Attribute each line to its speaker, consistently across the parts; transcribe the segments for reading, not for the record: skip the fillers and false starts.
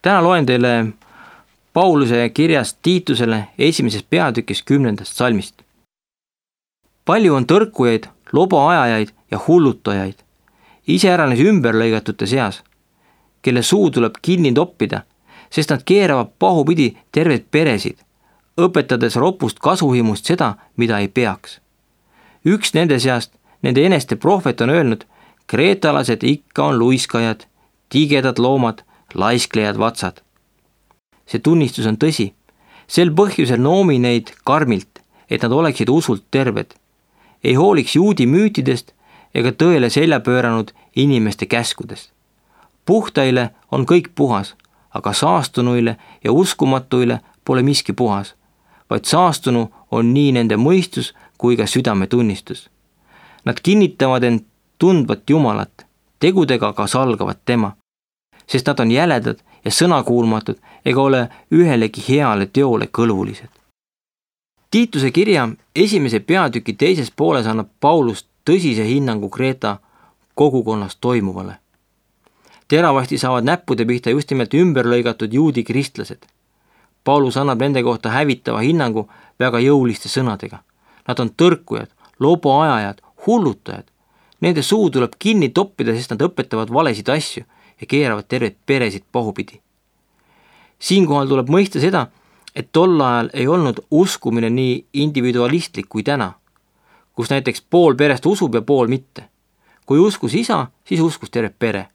Speaker 1: Täna loen teile Pauluse kirjast Tiitusele 1. peatükis 10. salmist. Palju on tõrkujaid, lobaajajaid ja hullutajaid, iseäranis ümberlõigatute seas, kelle suu tuleb kinni toppida, sest nad keeravad pahupidi terveid peresid, õpetades ropust kasuhimust seda, mida ei peaks. Üks nende seast, nende eneste prohvet on öelnud, kreetalased ikka on luiskajad, tigedad loomad, laisklejad vatsad. See tunnistus on tõsi. Sel põhjusel noomi neid karmilt, et nad oleksid usult terved, ei hooliks juudi müütidest ega tõele selja pööranud inimeste käskudest. Puhtaile on kõik puhas, aga saastunuile ja uskumatuile pole miski puhas, vaid saastunu on nii nende mõistus kui ka südametunnistus. Nad kinnitavad end tundvat Jumalat, tegudega ka salgavad tema, sest nad on jäledad ja sõnakuulmatud ega ole ühelegi heale teole kõlvulised. Tiituse kirja 1. peatüki 2. pooles annab Paulus tõsise hinnangu Kreeta kogukonnas toimuvale. Teravasti saavad näppude pihta just nimelt ümberlõigatud juudi kristlased. Paulus annab nende kohta hävitava hinnangu väga jõuliste sõnadega. Nad on tõrkujad, loboajajad, hullutajad. Nende suu tuleb kinni toppida, sest nad õpetavad valesid asju ja keeravad terveid peresid pahupidi. Siinkohal tuleb mõista seda, et tol ajal ei olnud uskumine nii individualistlik kui täna, kus näiteks pool perest usub ja pool mitte. Kui uskus isa, siis uskus terve pere.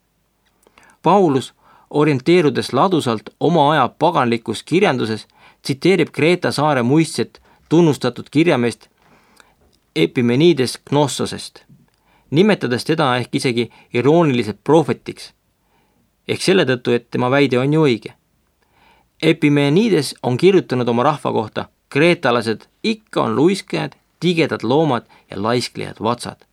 Speaker 1: Paulus, orienteerudes ladusalt oma aja paganlikus kirjanduses, tsiteerib Kreeta saare muistset tunnustatud kirjameest Epimenides Gnossosest, nimetades teda ehk isegi irooniliselt prohvetiks, ehk selle tõttu, et tema väide on ju õige. Epimenides on kirjutanud oma rahva kohta, kreetalased ikka on luiskajad, tigedad loomad ja laisklejad vatsad.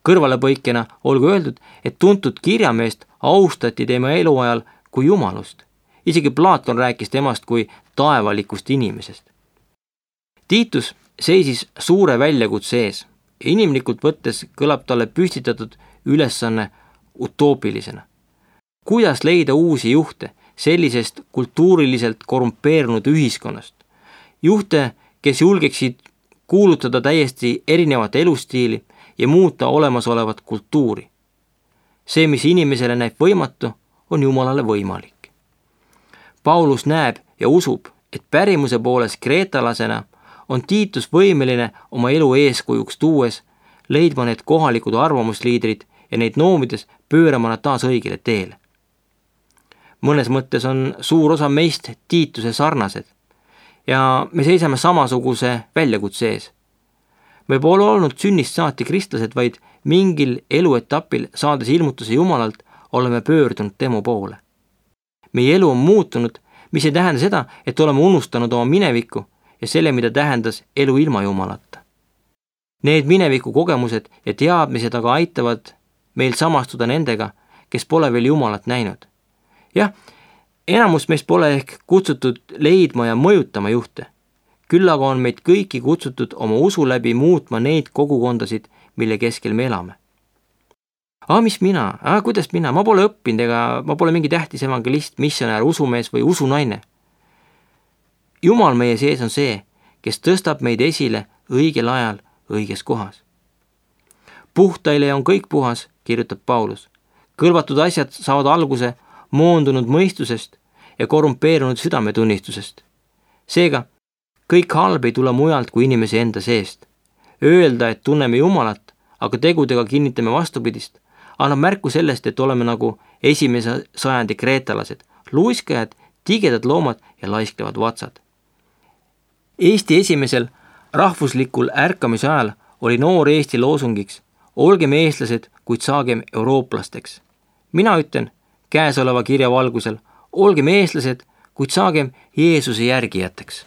Speaker 1: Kõrvalepõikena olgu öeldud, et tuntud kirjameest austati tema eluajal kui jumalust. Isegi Platon rääkis temast kui taevalikust inimesest. Tiitus seisis suure väljakutse ees ja inimlikult võttes kõlab talle püstitatud ülesanne utoopilisena. Kuidas leida uusi juhte sellisest kultuuriliselt korrumpeerunud ühiskonnast? Juhte, kes julgeksid kuulutada täiesti erinevat elustiili ja muuta olemasolevat kultuuri. See, mis inimesele näib võimatu, on Jumalale võimalik. Paulus näeb ja usub, et pärimuse poolest kreetalasena on Tiitus võimeline oma elu eeskujuks tuues leidma need kohalikud arvamusliidrid ja neid noomides pöörama nad taas õigele teele. Mõnes mõttes on suur osa meist Tiituse sarnased ja me seisame samasuguse väljakutse ees. Me pole olnud sünnist saati kristlased, vaid mingil eluetapil saades ilmutuse Jumalalt oleme pöördunud tema poole. Meie elu on muutunud, mis ei tähenda seda, et oleme unustanud oma minevikku ja selle, mida tähendas elu ilma Jumalata. Need mineviku kogemused ja teadmised aga aitavad meil samastuda nendega, kes pole veel Jumalat näinud. Jah, enamus meist pole ehk kutsutud leidma ja mõjutama juhte. Küll aga on meid kõiki kutsutud oma usu läbi muutma neid kogukondasid, mille keskel me elame. Mis mina? Kuidas mina? Ma pole õppinud ega ma pole mingi tähtis evangelist, missionär, usumees või usunaine. Jumal meie sees on see, kes tõstab meid esile õigel ajal õiges kohas. Puhtaile on kõik puhas, kirjutab Paulus. Kõlvatud asjad saavad alguse moondunud mõistusest ja korrumpeerunud südametunnistusest. Seega, kõik halb ei tule mujalt kui inimese enda seest. Öelda, et tunneme Jumalat, aga tegudega kinnitame vastupidist, annab märku sellest, et oleme nagu 1. sajandi kreetalased, luiskajad, tigedad loomad ja laisklevad vatsad. Eesti esimesel rahvuslikul ärkamise ajal oli noor Eesti loosungiks: olgem eestlased, kuid saagem eurooplasteks. Mina ütlen käesoleva kirja valgusel: olgem eestlased, kuid saagem Jeesuse järgijateks.